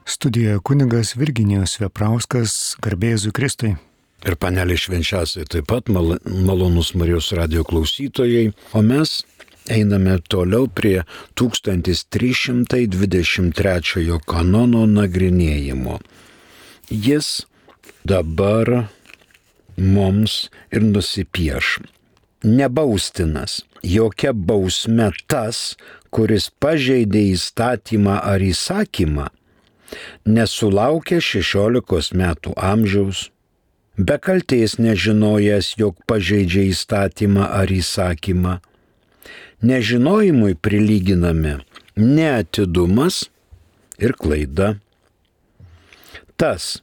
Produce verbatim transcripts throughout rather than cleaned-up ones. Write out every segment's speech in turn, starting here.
Studijoje kunigas Virginijus Veprauskas, garbė Jėzui Kristui. Ir panelė švenčiausiai taip pat mal, malonus Marijos radijo klausytojai, o mes einame toliau prie tūkstantis trys šimtai dvidešimt trečiojo kanono nagrinėjimo. Jis dabar mums ir nusipieš. Nebaustinas, jokia bausme tas, kuris pažeidė įstatymą ar įsakymą, nesulaukė šešiolikos metų amžiaus, be kaltės nežinojęs, jog pažeidžia įstatymą ar įsakymą. Nežinojimui prilyginami neatidumas ir klaida. Tas,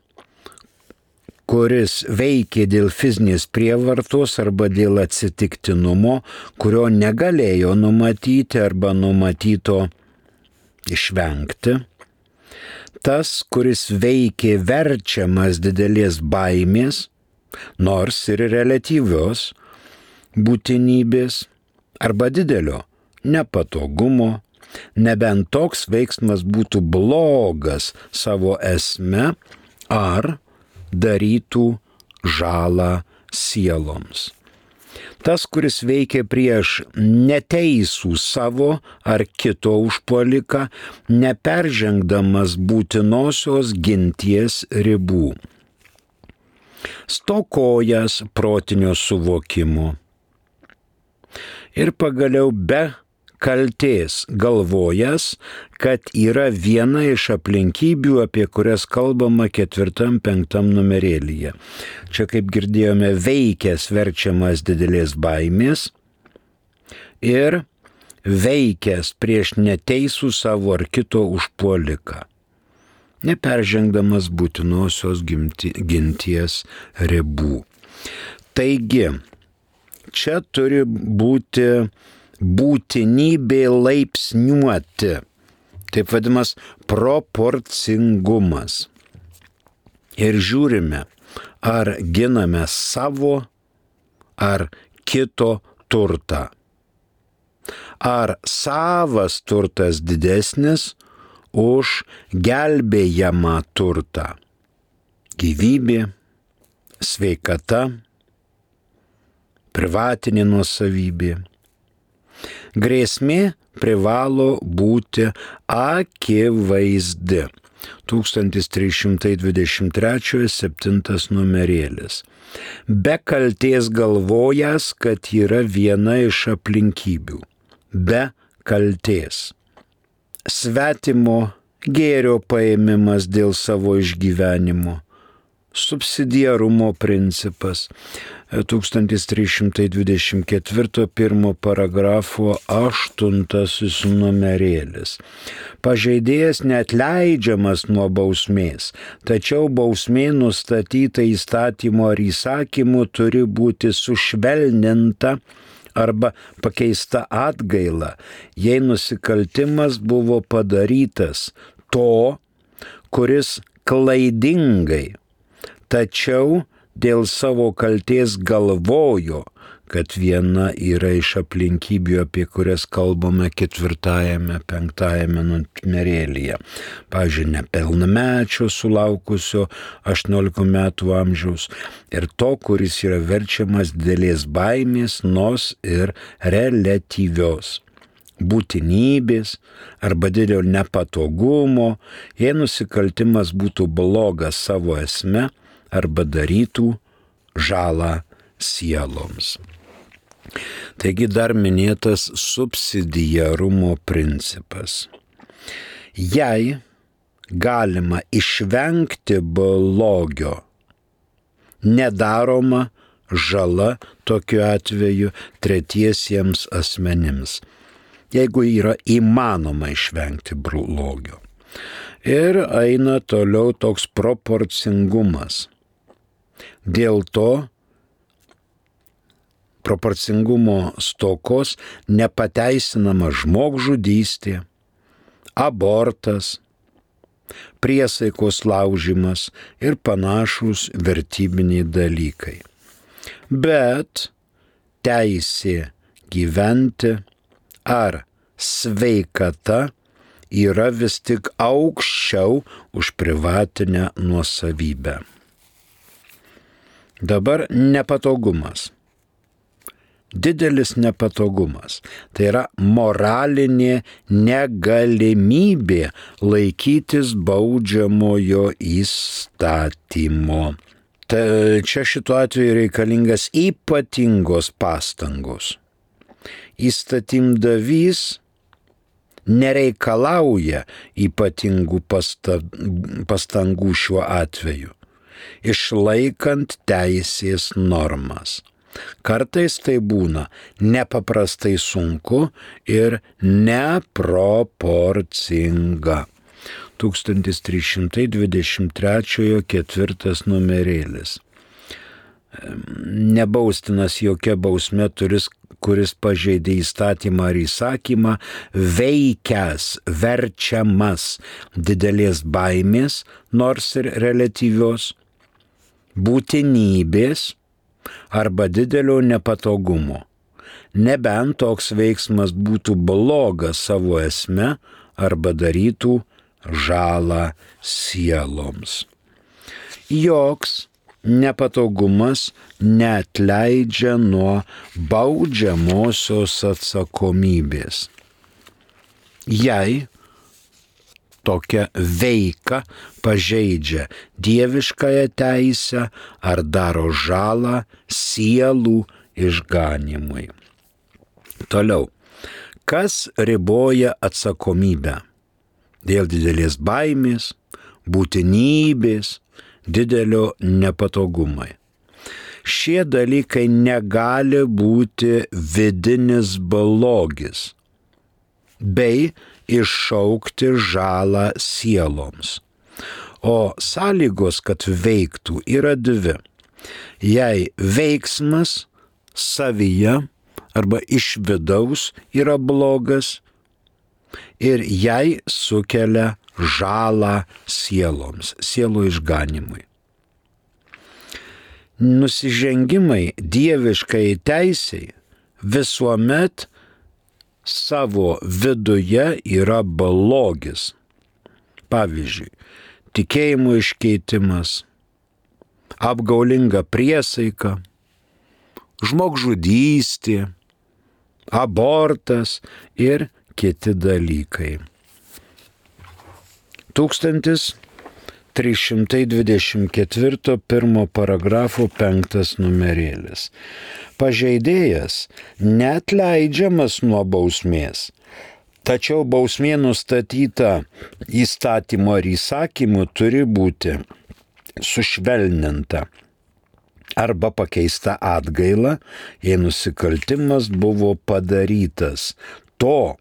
kuris veikė dėl fizinės prievartos arba dėl atsitiktinumo, kurio negalėjo numatyti arba numatyto išvengti. Tas, kuris veikė verčiamas didelės baimės, nors ir reliatyvios būtinybės, arba didelio nepatogumo, nebent toks veiksmas būtų blogas savo esme ar darytų žalą sieloms. Tas, kuris veikia prieš neteisų savo ar kito užpuoliką, neperžengdamas būtinosios ginties ribų. Stokojas protinio suvokimo. Ir pagaliau be kaltės galvojas, kad yra viena iš aplinkybių, apie kurias kalbama ketvirtam, penktam numerėlyje. Čia, kaip girdėjome, veikęs verčiamas didelės baimės ir veikęs prieš neteisų savo ar kito užpuoliką, neperžengdamas būtinosios ginties ribų. Taigi, čia turi būti būtinybė laipsniuoti, taip vadinamas proporcingumas. Ir žiūrime, ar giname savo ar kito turtą. Ar savas turtas didesnis už gelbėjamą turtą. Gyvybė, sveikata, privatinė nuosavybė. Grėsmė privalo būti akivaizdi. tūkstantis trys šimtai dvidešimt trečias septintas numerėlis. Be kaltės galvojas, kad yra viena iš aplinkybių. Be kaltės. Svetimo gėrio paėmimas dėl savo išgyvenimo. Subsidiarumo principas. tūkstantis trys šimtai dvidešimt ketvirtas pirmo paragrafo aštuntasis numerėlis. Pažeidėjas neatleidžiamas nuo bausmės, tačiau bausmė nustatyta įstatymu ar įsakymu turi būti sušvelninta arba pakeista atgaila, jei nusikaltimas buvo padarytas to, kuris klaidingai, tačiau dėl savo kaltės galvojo, kad viena yra iš aplinkybių, apie kurias kalbame ketvirtajame, penktajame numerėlyje. Pavyzdžiui, nepilnamečio sulaukusio aštuoniolikos metų amžiaus ir to, kuris yra verčiamas didelės baimės, nors ir reliatyvios būtinybės arba didelio nepatogumo, jei nusikaltimas būtų blogas savo esme arba darytų žalą sieloms. Taigi dar minėtas subsidiarumo principas. Jei galima išvengti blogio, nedaroma žala tokiu atveju tretiesiems asmenims, jeigu yra įmanoma išvengti blogio. Ir eina toliau toks proporcingumas. Dėl to proporcingumo stokos nepateisinama žmogžudystė, abortas, priesaikos laužimas ir panašūs vertybiniai dalykai. Bet teisė gyventi ar sveikata yra vis tik aukščiau už privatinę nuosavybę. Dabar nepatogumas. Didelis nepatogumas. Tai yra moralinė negalimybė laikytis baudžiamojo įstatymo. Ta, čia šituo atveju reikalingas ypatingos pastangos. Įstatymdavys nereikalauja ypatingų pastangų šiuo atveju, išlaikant teisės normas. Kartais tai būna nepaprastai sunku ir neproporcinga. tūkstantis trys šimtai dvidešimt trečiojo ketvirtas numerėlis. Nebaustinas jokia bausmė turis, kuris pažeidė įstatymą ar įsakymą, veikęs, verčiamas didelės baimės, nors ir reliatyvios, būtinybės arba didelio nepatogumo, nebent toks veiksmas būtų blogas savo esme arba darytų žalą sieloms. Joks nepatogumas neatleidžia nuo baudžiamosios atsakomybės. Jei tokia veika pažeidžia dieviškąją teisę ar daro žalą sielų išganymui. Toliau. Kas riboja atsakomybę? Dėl didelės baimės, būtinybės, didelio nepatogumai. Šie dalykai negali būti vidinis blogis bei iššaukti žalą sieloms. O sąlygos, kad veiktų, yra dvi. Jei veiksmas savyje arba iš vidaus yra blogas ir jei sukelia žalą sieloms, sielų išganimui. Nusižengimai dieviškai teisei visuomet savo viduje yra blogis. Pavyzdžiui, tikėjimo iškeitimas, apgaulinga priesaika, žmogžudystė, abortas ir kiti dalykai. tūkstantis trys šimtai dvidešimt ketvirto pirmo paragrafo penktas numerėlis. Pažeidėjas neatleidžiamas nuo bausmės, tačiau bausmė nustatyta įstatymo ar įsakymu turi būti sušvelninta arba pakeista atgaila, jei nusikaltimas buvo padarytas to,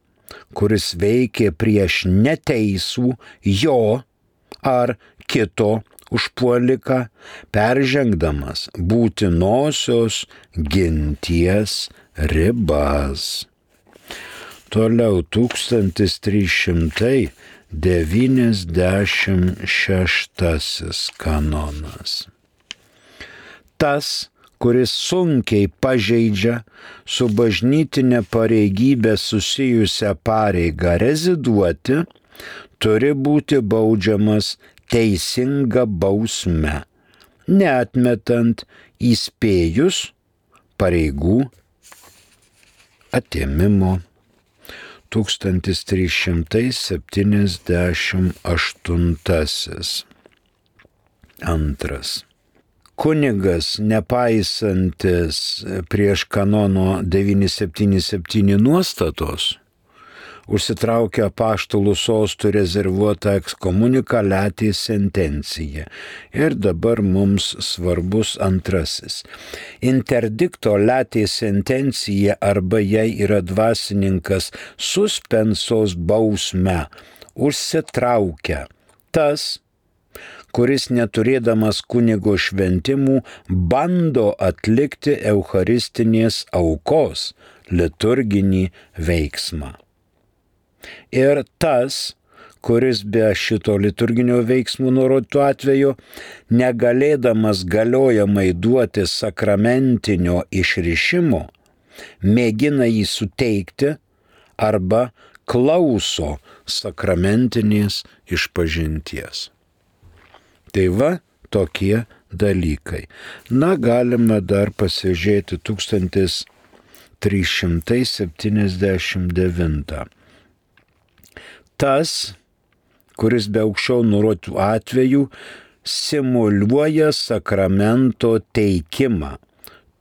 kuris veikė prieš neteisų jo ar kito užpuoliką, peržengdamas būtinosios ginties ribas. Toliau tūkstantis trys šimtai devyniasdešimt šeštasis kanonas. Tas, kuris sunkiai pažeidžia su bažnytinė pareigybė susijusią pareigą reziduoti, turi būti baudžiamas teisinga bausme, neatmetant įspėjus pareigų atėmimo. tūkstantis trys šimtai septyniasdešimt aštuntasis. Antras. Kunigas, nepaisantis prieš kanono devyni septyni septyni nuostatos, užsitraukia apaštalų sostų rezervuotą ekskomunikaliatį sentenciją. Ir dabar mums svarbus antrasis. Interdikto latė sentencija arba jei yra dvasininkas suspensos bausme užsitraukia tas, kuris neturėdamas kunigo šventimų bando atlikti eucharistinės aukos liturginį veiksmą. Ir tas, kuris be šito liturginio veiksmų nurodytų atveju, negalėdamas galiojamai duoti sakramentinio išrišimo, mėgina jį suteikti arba klauso sakramentinės išpažinties. Tai va tokie dalykai. Na, galime dar pasižiūrėti tūkstantis trys šimtai septyniasdešimt devyni. Tas, kuris be aukščiau nurodytų atvejų simuliuoja sakramento teikimą,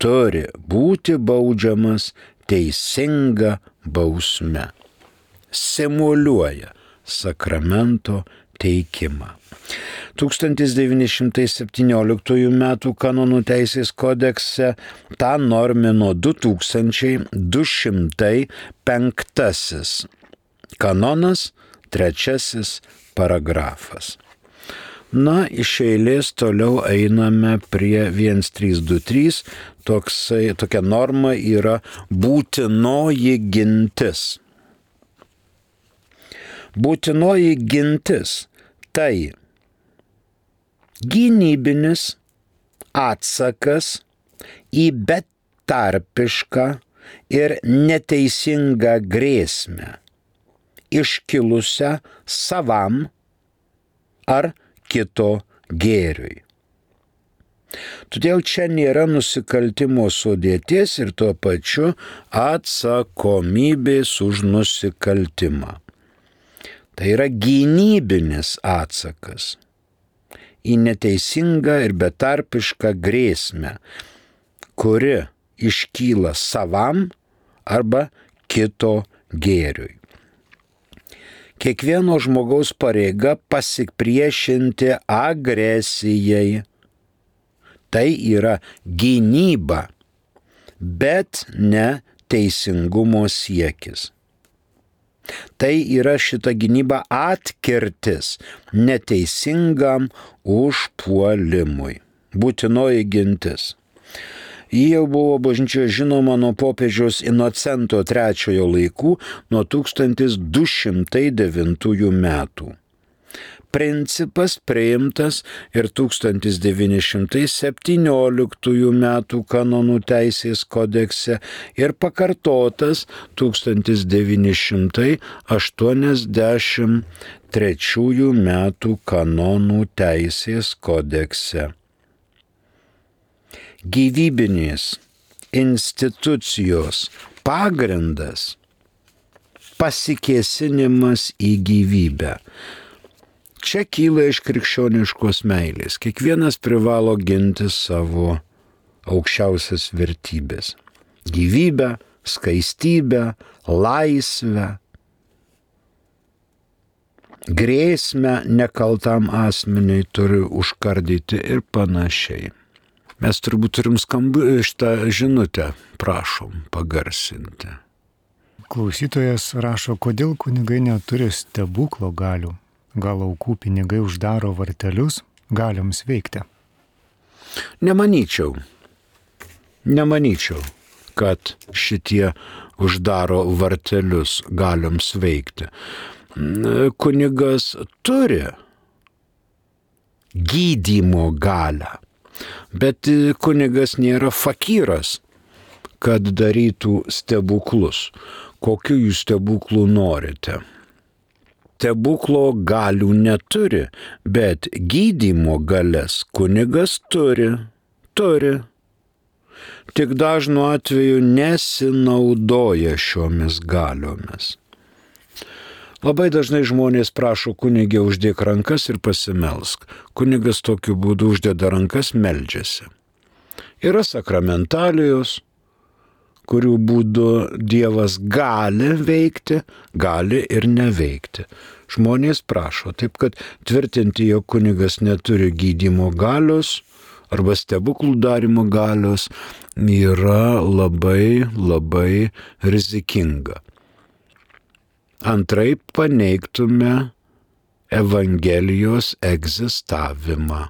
turi būti baudžiamas teisinga bausme. Simuliuoja sakramento teikimą. tūkstantis devyni šimtai septynioliktųjų metų kanonų teisės kodekse tą normino du tūkstančiai du šimtai penktasis kanonas, trečiasis paragrafas. Na, iš eilės toliau einame prie vienas trys du trys, toksai, tokia norma yra būtinoji gintis. Būtinoji gintis tai gynybinis atsakas į betarpišką ir neteisingą grėsmę, iškilusią savam ar kito gėriui. Todėl čia nėra nusikaltimo sudėties ir tuo pačiu atsakomybės už nusikaltimą. Tai yra gynybinis atsakas į neteisingą ir betarpišką grėsmę, kuri iškyla savam arba kito gėriui. Kiekvieno žmogaus pareiga pasipriešinti agresijai. Tai yra gynyba, bet ne teisingumo siekis. Tai yra šita gynyba atkirtis neteisingam užpuolimui. Būtinoji gintis. Ji jau buvo bažnyčioje žinoma nuo popiežiaus Inocento trečiojo laikų, nuo tūkstantis du šimtai devintųjų metų. Principas priimtas ir tūkstantis devyni šimtai septynioliktųjų metų kanonų teisės kodekse ir pakartotas tūkstantis devyni šimtai aštuoniasdešimt trečiųjų metų kanonų teisės kodekse. Gyvybinės institucijos pagrindas – pasikėsinimas į gyvybę. Čia kyla iš krikščioniškos meilės. Kiekvienas privalo ginti savo aukščiausias vertybės. Gyvybę, skaistybę, laisvę, grėsmę nekaltam asmeniui turi užkardyti ir panašiai. Mes turbūt turim skambų šitą žinutę, prašom pagarsinti. Klausytojas rašo, kodėl kunigai neturi stebuklo galių. Gal aukų pinigai uždaro vartelius, galioms veikti? Nemanyčiau. Nemanyčiau, kad šitie uždaro vartelius galioms veikti. Kunigas turi gydymo galią, bet kunigas nėra fakyras, kad darytų stebuklus. Kokių jūs stebuklų norite? Stebuklo galių neturi, bet gydymo galias kunigas turi, turi. Tik dažnu atveju nesinaudoja šiomis galiomis. Labai dažnai žmonės prašo kunigė uždėk rankas ir pasimelsk. Kunigas tokiu būdu uždeda rankas, meldžiasi. Yra sakramentalijos, kurių būdu Dievas gali veikti, gali ir neveikti. Žmonės prašo, taip kad tvirtinti, jog kunigas neturi gydymo galios arba stebuklų darymo galios yra labai, labai rizikinga. Antraip paneigtume Evangelijos egzistavimą.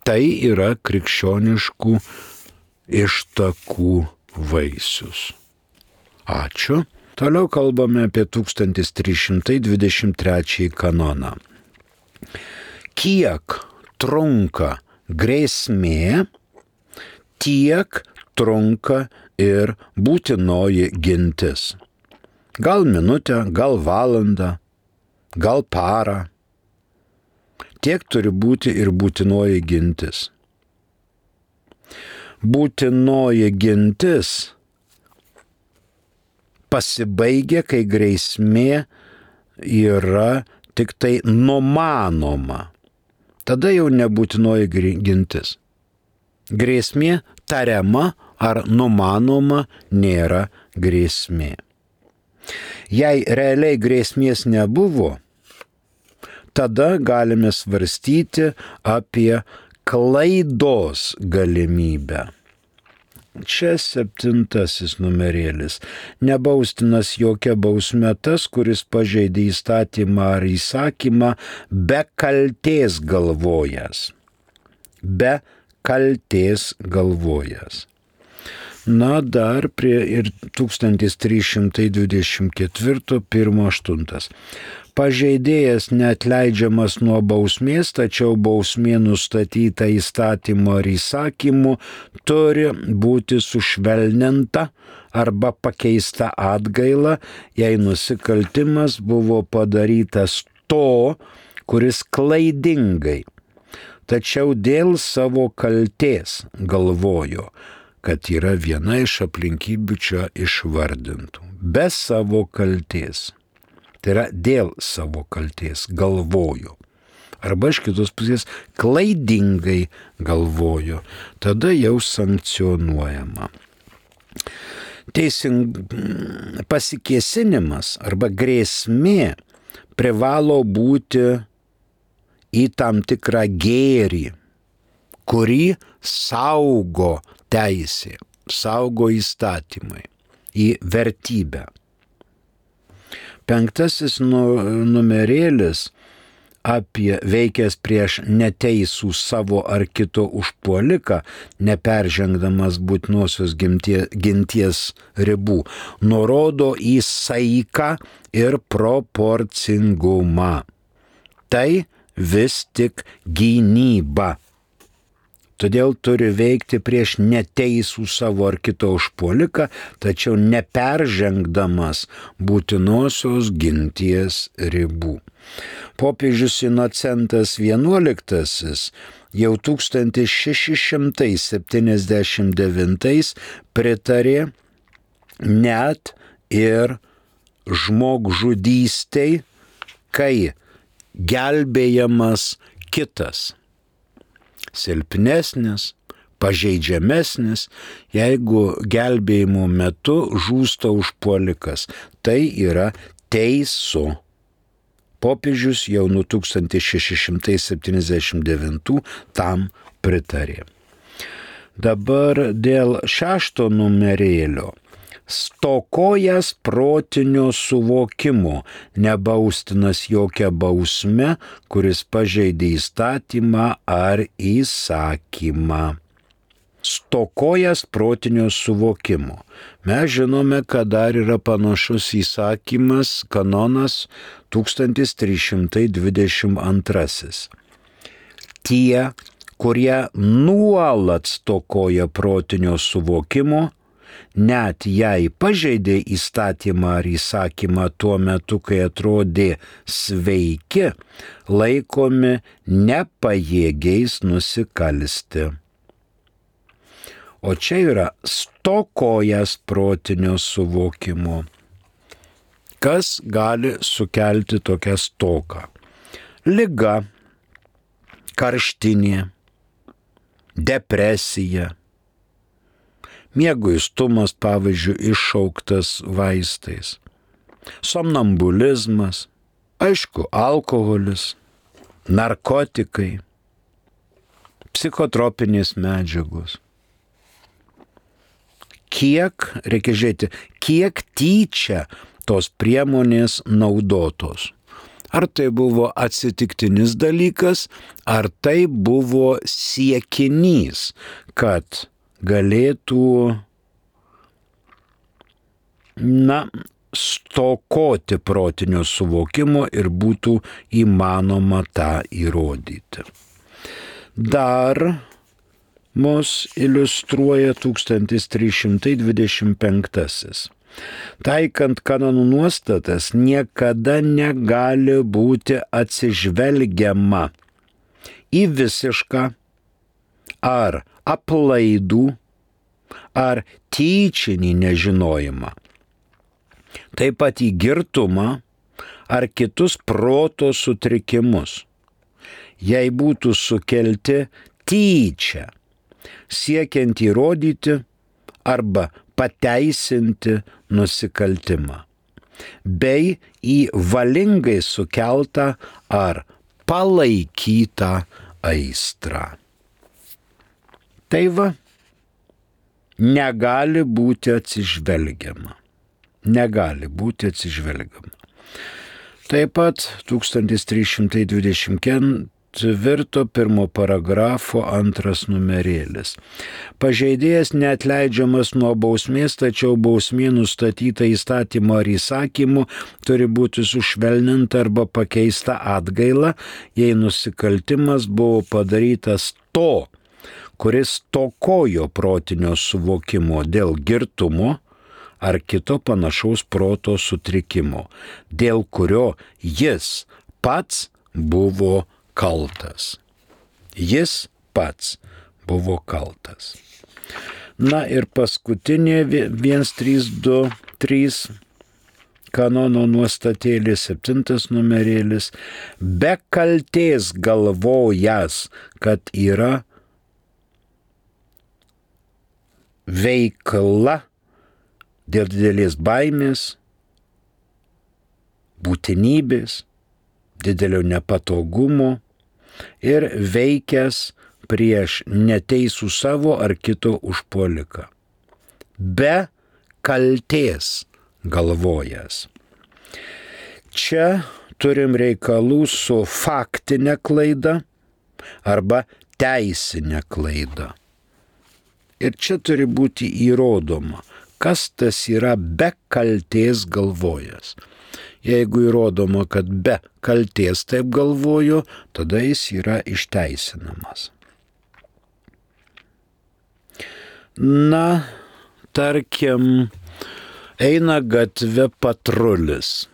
Tai yra krikščioniškų ištakų vaisius. Ačiū. Toliau kalbame apie tūkstantis trys šimtai dvidešimt trečiąjį kanoną. Kiek trunka grėsmė, tiek trunka ir būtinoji gintis. Gal minutę, gal valandą, gal parą. Tiek turi būti ir būtinoji gintis. Būtinoji gintis pasibaigia, kai grėsmė yra tik tai numanoma. Tada jau nebūtinoji gintis. Grėsmė tariama ar numanoma nėra grėsmė. Jei realiai grėsmės nebuvo, tada galime svarstyti apie klaidos galimybę. Čia septintasis numerėlis. Nebaustinas jokia bausme tas, kuris pažeidė įstatymą ar įsakymą be kaltės galvojas. Be kaltės galvojas. Na, dar prie ir tūkstantis trys šimtai dvidešimt keturi pirmas aštuntas. Pažeidėjas neatleidžiamas nuo bausmės, tačiau bausmė nustatyta įstatymu ar įsakymu turi būti sušvelninta arba pakeista atgaila, jei nusikaltimas buvo padarytas to, kuris klaidingai, tačiau dėl savo kaltės galvojo, kad yra viena iš aplinkybių čia išvardintų. Be savo kaltės. Tai yra dėl savo kaltės galvojo. Arba iš kitos pusės klaidingai galvojo. Tada jau sankcionuojama. Teising pasikėsinimas arba grėsmė privalo būti į tam tikrą gėrį, kurį saugo teisė, saugo įstatymai, į vertybę. Penktasis numerėlis apie veikęs prieš neteisų savo ar kito užpuoliką, neperžengdamas būtinosios ginties ribų, nurodo į saiką ir proporcingumą. Tai vis tik gynyba. Todėl turi veikti prieš neteisų savo ar kito užpuoliką, tačiau neperžengdamas būtinosios ginties ribų. Popiežius Inocentas vienuoliktasis jau tūkstantis šeši šimtai septyniasdešimt devintais pritarė net ir žmogžudystei, kai gelbėjamas kitas. Silpnesnis, pažeidžiamesnis, jeigu gelbėjimo metu žūsta užpuolikas. Tai yra teisų. Popiežius jau nuo tūkstantis šeši šimtai septyniasdešimt devintų tam pritarė. Dabar dėl šešto numerėlio. Stokojas protinio suvokimo, nebaustinas jokia bausme, kuris pažeidė įstatymą ar įsakymą. Stokojas protinio suvokimo. Mes žinome, kad dar yra panašus įsakymas, kanonas tūkstantis trys šimtai dvidešimt antrasis. Tie, kurie nuolat stokoja protinio suvokimo, net jei pažeidė įstatymą ar įsakymą tuo metu, kai atrodė sveiki, laikomi nepajėgiais nusikalsti. O čia yra stokojas protinio suvokimo. Kas gali sukelti tokią stoką? Liga, karštinė, depresija, mieguistumas, pavyzdžiui, iššauktas vaistais, somnambulizmas, aišku, alkoholis, narkotikai, psichotropinės medžiagos. Kiek, reikia žiūrėti, kiek tyčia tos priemonės naudotos. Ar tai buvo atsitiktinis dalykas, ar tai buvo siekinys, kad galėtų, na, stokoti protinio suvokimo ir būtų įmanoma tą įrodyti. Dar mus iliustruoja tūkstantis trys šimtai dvidešimt penktasis. Taikant kanonų nuostatas niekada negali būti atsižvelgiama į visišką ar aplaidų ar tyčinį nežinojimą. Taip pat į girtumą ar kitus proto sutrikimus. Jei būtų sukelti tyčia, siekiant įrodyti arba pateisinti nusikaltimą, bei į valingai sukeltą ar palaikytą aistrą. Tai va, negali būti atsižvelgiama. Negali būti atsižvelgiama. Taip pat tūkstantis trys šimtai dvidešimt ketvirto pirmo paragrafo antras numerėlis. Pažeidėjas neatleidžiamas nuo bausmės, tačiau bausmė nustatyta įstatymo ar įsakymu turi būti sušvelninta arba pakeista atgaila, jei nusikaltimas buvo padarytas to, kuris stokojo protinio suvokimo dėl girtumo ar kito panašaus proto sutrikimo, dėl kurio jis pats buvo kaltas. Jis pats buvo kaltas. Na ir paskutinė vienas trys du trys kanono nuostatėlis, septintas numerėlis, be kaltės galvojas, kad yra veikla dėl didelės baimės, būtinybės, didelio nepatogumo ir veikęs prieš neteisų savo ar kito užpuoliką. Be kaltės galvojas. Čia turim reikalų su faktinė klaida arba teisinė klaida. Ir čia turi būti įrodoma, kas tas yra be kaltės galvojas. Jeigu įrodoma, kad be kaltės taip galvojo, tada jis yra išteisinamas. Na, tarkim, eina gatve patrulis.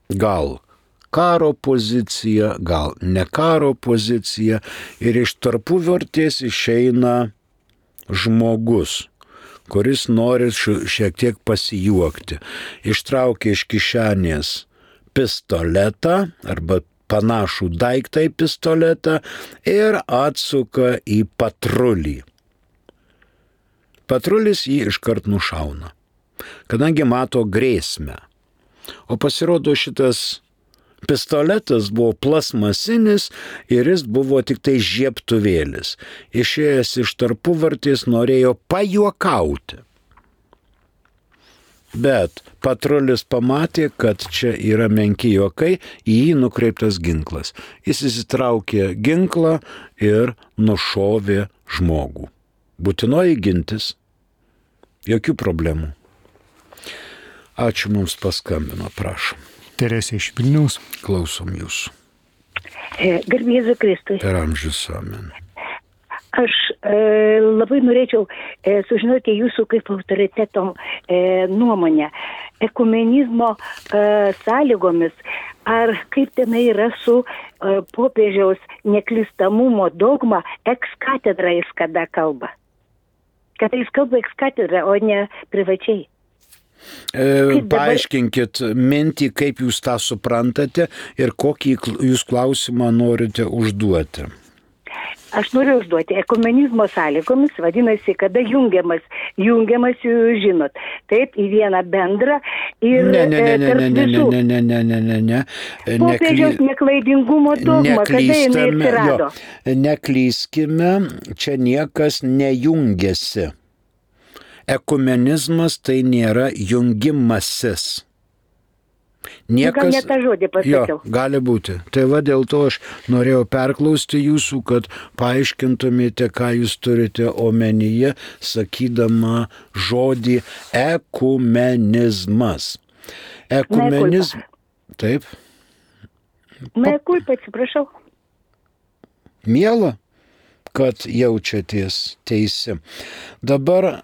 Gal karo pozicija, gal ne karo pozicija, ir iš tarpuvartės išeina žmogus, kuris nori šiek tiek pasijuokti. Ištraukia iš kišenės pistoletą arba panašų daiktą į pistoletą ir atsuka į patrulį. Patrulis jį iškart nušauna, kadangi mato grėsmę. O pasirodo, šitas pistoletas buvo plasmasinis ir jis buvo tik tai žiebtuvėlis. Išėjęs iš tarpuvartės norėjo pajuokauti. Bet patrulis pamatė, kad čia yra menki juokai, į jį nukreiptas ginklas. Jis įsitraukė ginklą ir nušovė žmogų. Būtinoji gintis. Jokių problemų. Ačiū, mums paskambino, prašom. Teresė iš Vilniaus. Klausom jūsų. Garbė Jėzui Kristui. Per amžius amen. Aš e, labai norėčiau e, sužinoti jūsų kaip autoriteto e, nuomonę. Ekumenizmo e, sąlygomis, ar kaip tenai yra su e, popiežiaus neklystamumo dogma ex katedra jis kada kalba. Kada jis kalba ex katedra, o ne privačiai. E, paaiškinkit mintį, kaip jūs tą suprantate ir kokį jūs klausimą norite užduoti. Aš noriu užduoti, ekumenizmo sąlygomis, vadinasi, kada jungiamas, jungiamas, jūs žinot, taip, į vieną bendrą ir ne, ne, ne, ne, tarp ne, ne, visų. ne, ne, ne, ne, ne, ne. Popiežiaus neklaidingumo dogma, kada jinai atsirado. Jo, neklyskime, čia niekas nejungiasi. Ekumenizmas tai nėra jungimasis. Niekas, gal ne tą žodį pasakiau. Jo, gali būti. Tai va dėl to aš norėjau perklausti jūsų, kad paaiškintumėte, ką jūs turite omenyje, sakydama žodį ekumenizmas. Ekumenizmas. Taip. Na, kulpa, atsiprašau. Miela, kad jaučiatės teisi. Dabar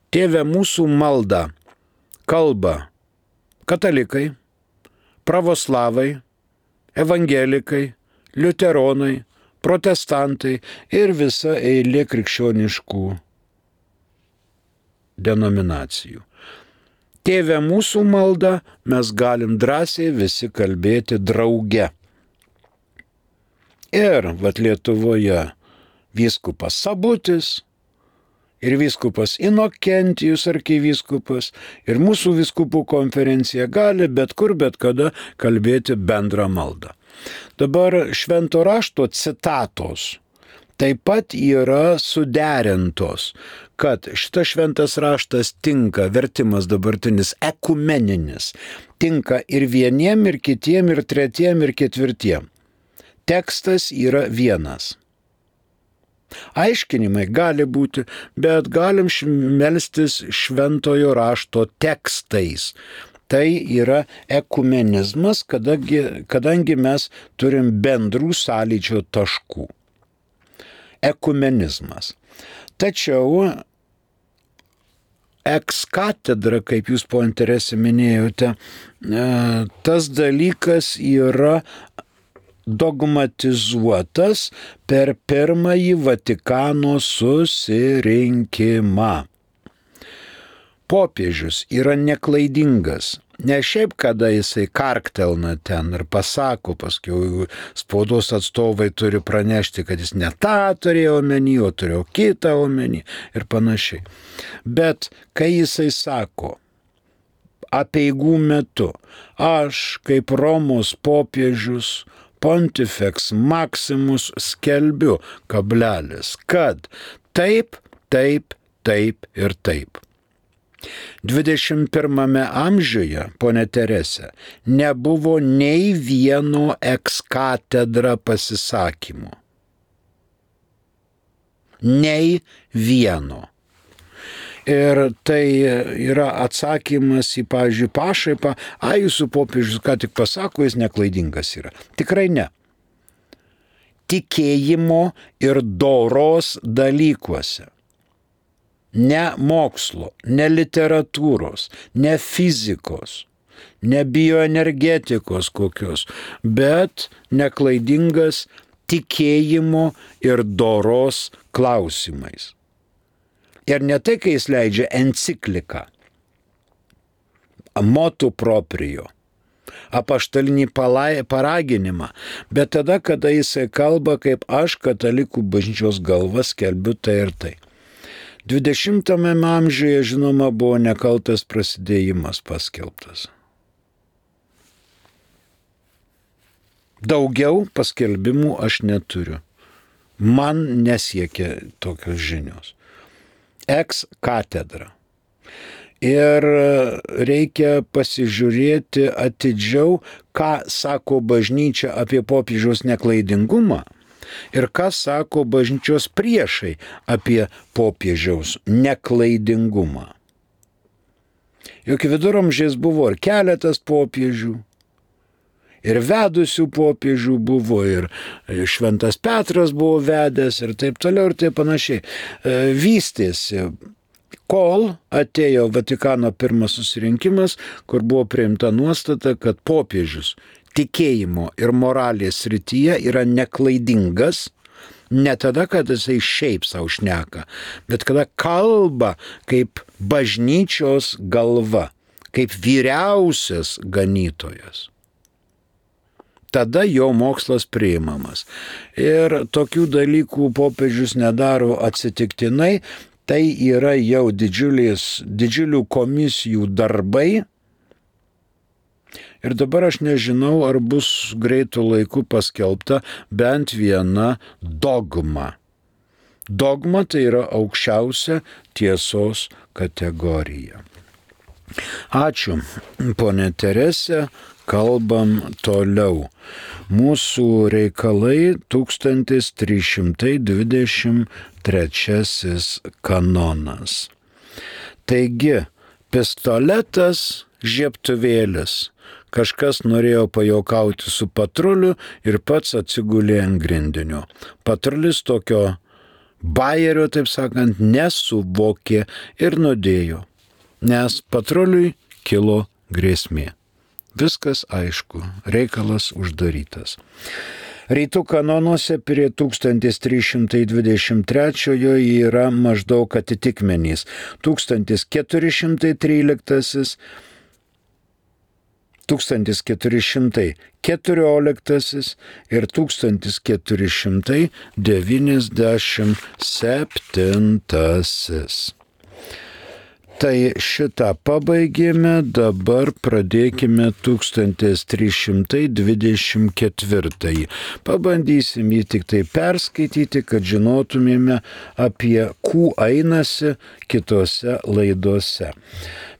Tėve mūsų maldą kalba katalikai, pravoslavai, evangelikai, liuteronai, protestantai ir visa eilė krikščioniškų denominacijų. Tėve mūsų maldą mes galim drąsiai visi kalbėti drauge. Ir vat Lietuvoje vyskupas Sabutis ir vyskupas Inokentijus arkivyskupas ir mūsų vyskupų konferencija gali bet kur, bet kada kalbėti bendrą maldą. Dabar švento rašto citatos taip pat yra suderintos, kad šitas šventas raštas tinka, vertimas dabartinis ekumeninis, tinka ir vieniem, ir kitiem, ir tretiem, ir ketvirtiem. Tekstas yra vienas. Aiškinimai gali būti, bet galim melstis šventojo rašto tekstais. Tai yra ekumenizmas, kadangi, kadangi mes turim bendrų sąlyčio taškų. Ekumenizmas. Tačiau ex katedra, kaip jūs po interesi minėjote, tas dalykas yra dogmatizuotas per pirmąjį Vatikano susirinkimą. Popiežius yra neklaidingas. Ne šiaip, kada jisai karktelna ten ir pasako, paskui spaudos atstovai turi pranešti, kad jis ne tą turėjo omeny, o turėjo kitą omeny ir panašiai. Bet kai jisai sako apeigų metu, aš kaip Romos popiežius Pontifex Maximus skelbiu, kablelis, kad taip, taip, taip ir taip. dvidešimt pirmame amžiuje, ponė Teresė, nebuvo nei vieno ex katedra pasisakymo. Nei vieno. Ir tai yra atsakymas į, pavyzdžiui, pašaipą, a, jūsų popiežius ką tik pasako, jis neklaidingas yra. Tikrai ne. Tikėjimo ir doros dalykuose. Ne mokslo, ne literatūros, ne fizikos, ne bioenergetikos kokios, bet neklaidingas tikėjimo ir doros klausimais. Ir ne tai, kai jis leidžia encikliką, motu proprio, apaštalinį paraginimą, bet tada, kada jisai kalba, kaip aš katalikų bažnyčios galva skelbiu tai ir tai. dvidešimtame amžiuje, žinoma, buvo nekaltas prasidėjimas paskelbtas. Daugiau paskelbimų aš neturiu. Man nesiekia tokios žinios. Ex katedra. Ir reikia pasižiūrėti atidžiau, ką sako bažnyčia apie popiežiaus neklaidingumą ir ką sako bažnyčios priešai apie popiežiaus neklaidingumą. Juk viduramžiais buvo ir keletas popiežių, ir vedusių popiežių buvo, ir šventas Petras buvo vedęs, ir taip toliau, ir taip panašiai. Vystėsi, kol atėjo Vatikano pirmas susirinkimas, kur buvo priimta nuostata, kad popiežius tikėjimo ir moralės srityje yra neklaidingas, ne tada, kada jisai šiaip savo šneka, bet kada kalba kaip bažnyčios galva, kaip vyriausias ganytojas. Tada jo mokslas priimamas. Ir tokių dalykų popiežius nedaro atsitiktinai, tai yra jau didžiulės, didžiulių komisijų darbai. Ir dabar aš nežinau, ar bus greitų laikų paskelbta bent viena dogma. Dogma tai yra aukščiausia tiesos kategorija. Ačiū, ponė Teresė, kalbam toliau. Mūsų reikalai tūkstantis trys šimtai dvidešimt trečiasis kanonas. Taigi, pistoletas, žiebtuvėlis. Kažkas norėjo pajuokauti su patruliu ir pats atsigulė ant grindinio. Patrulis tokio bajerio, taip sakant, nesuvokė ir nudėjo, nes patruliui kilo grėsmė. Viskas aišku, reikalas uždarytas. Rytų kanonuose prie tūkstantis trys šimtai dvidešimt trečiojo yra maždaug atitikmenys. tūkstantis keturi šimtai tryliktasis, tūkstantis keturi šimtai keturioliktasis ir tūkstantis keturi šimtai devyniasdešimt septintasis. Tai šitą pabaigėme, dabar pradėkime tūkstantis trys šimtai dvidešimt ketvirtąjį. Pabandysim jį tik tai perskaityti, kad žinotumėme, apie kų einasi kitose laidose.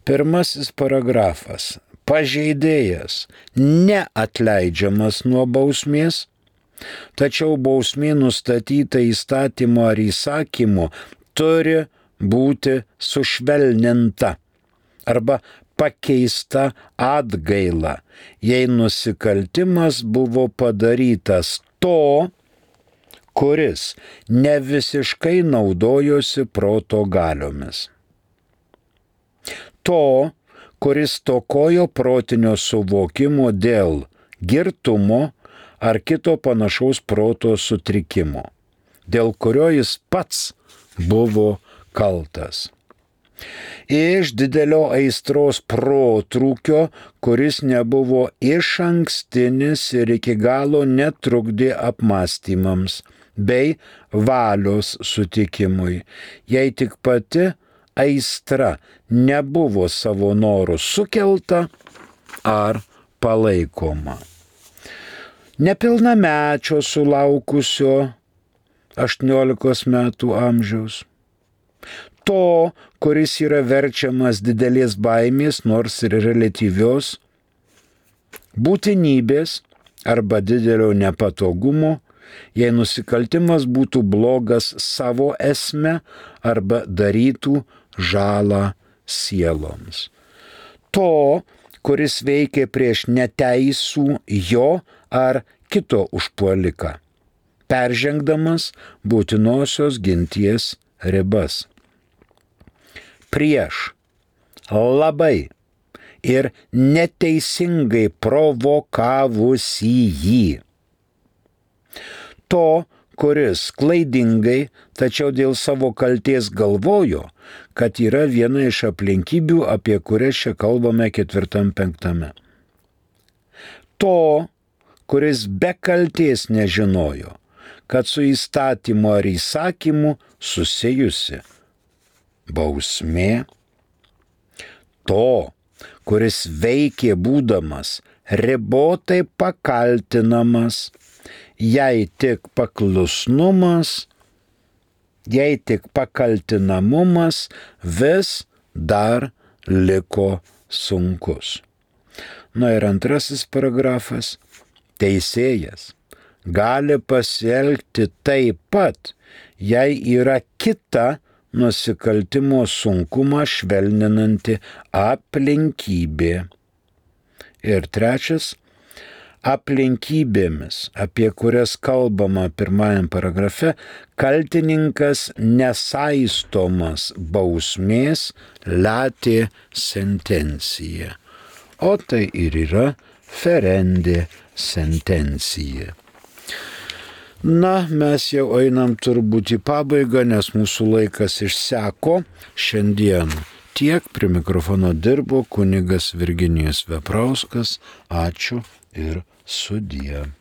Pirmasis paragrafas. Pažeidėjas neatleidžiamas nuo bausmės, tačiau bausmė nustatyta įstatymo ar įsakymu turi būti sušvelninta arba pakeista atgaila, jei nusikaltimas buvo padarytas to, kuris ne visiškai naudojosi proto galiomis. To, kuris stokojo protinio suvokimo dėl girtumo ar kito panašaus proto sutrikimo, dėl kurio jis pats buvo kaltas. Iš didelio aistros protrūkio, kuris nebuvo išankstinis ir iki galo netrukdė apmąstymams bei valios sutikimui, jei tik pati aistra nebuvo savo norų sukelta ar palaikoma. Nepilnamečio sulaukusio aštuoniolikos metų amžiaus. To, kuris yra verčiamas didelės baimės, nors ir reliatyvios, būtinybės arba didelio nepatogumo, jei nusikaltimas būtų blogas savo esme arba darytų žalą sieloms. To, kuris veikia prieš neteisų jo ar kito užpuoliką, peržengdamas būtinosios ginties ribas. Prieš labai ir neteisingai provokavusį jį. To, kuris klaidingai, tačiau dėl savo kaltės galvojo, kad yra viena iš aplinkybių, apie kurias čia kalbame ketvirtam penktame. To, kuris be kaltės nežinojo, kad su įstatymu ar įsakymu susijusi bausmė. To, kuris veikė būdamas ribotai pakaltinamas, jei tik paklusnumas, jei tik pakaltinamumas vis dar liko sunkus. Na ir antrasis paragrafas. Teisėjas gali pasielgti taip pat, jei yra kita nusikaltimo sunkumą švelninanti aplinkybė. Ir trečias, aplinkybėmis, apie kurias kalbama pirmajam paragrafe, kaltininkas nesaistomas bausmės latė sentencija. O tai ir yra ferendė sentencija. Na, mes jau einam turbūt į pabaigą, nes mūsų laikas išseko. Šiandien tiek, prie mikrofono dirbo kunigas Virginijus Veprauskas. Ačiū ir sudie.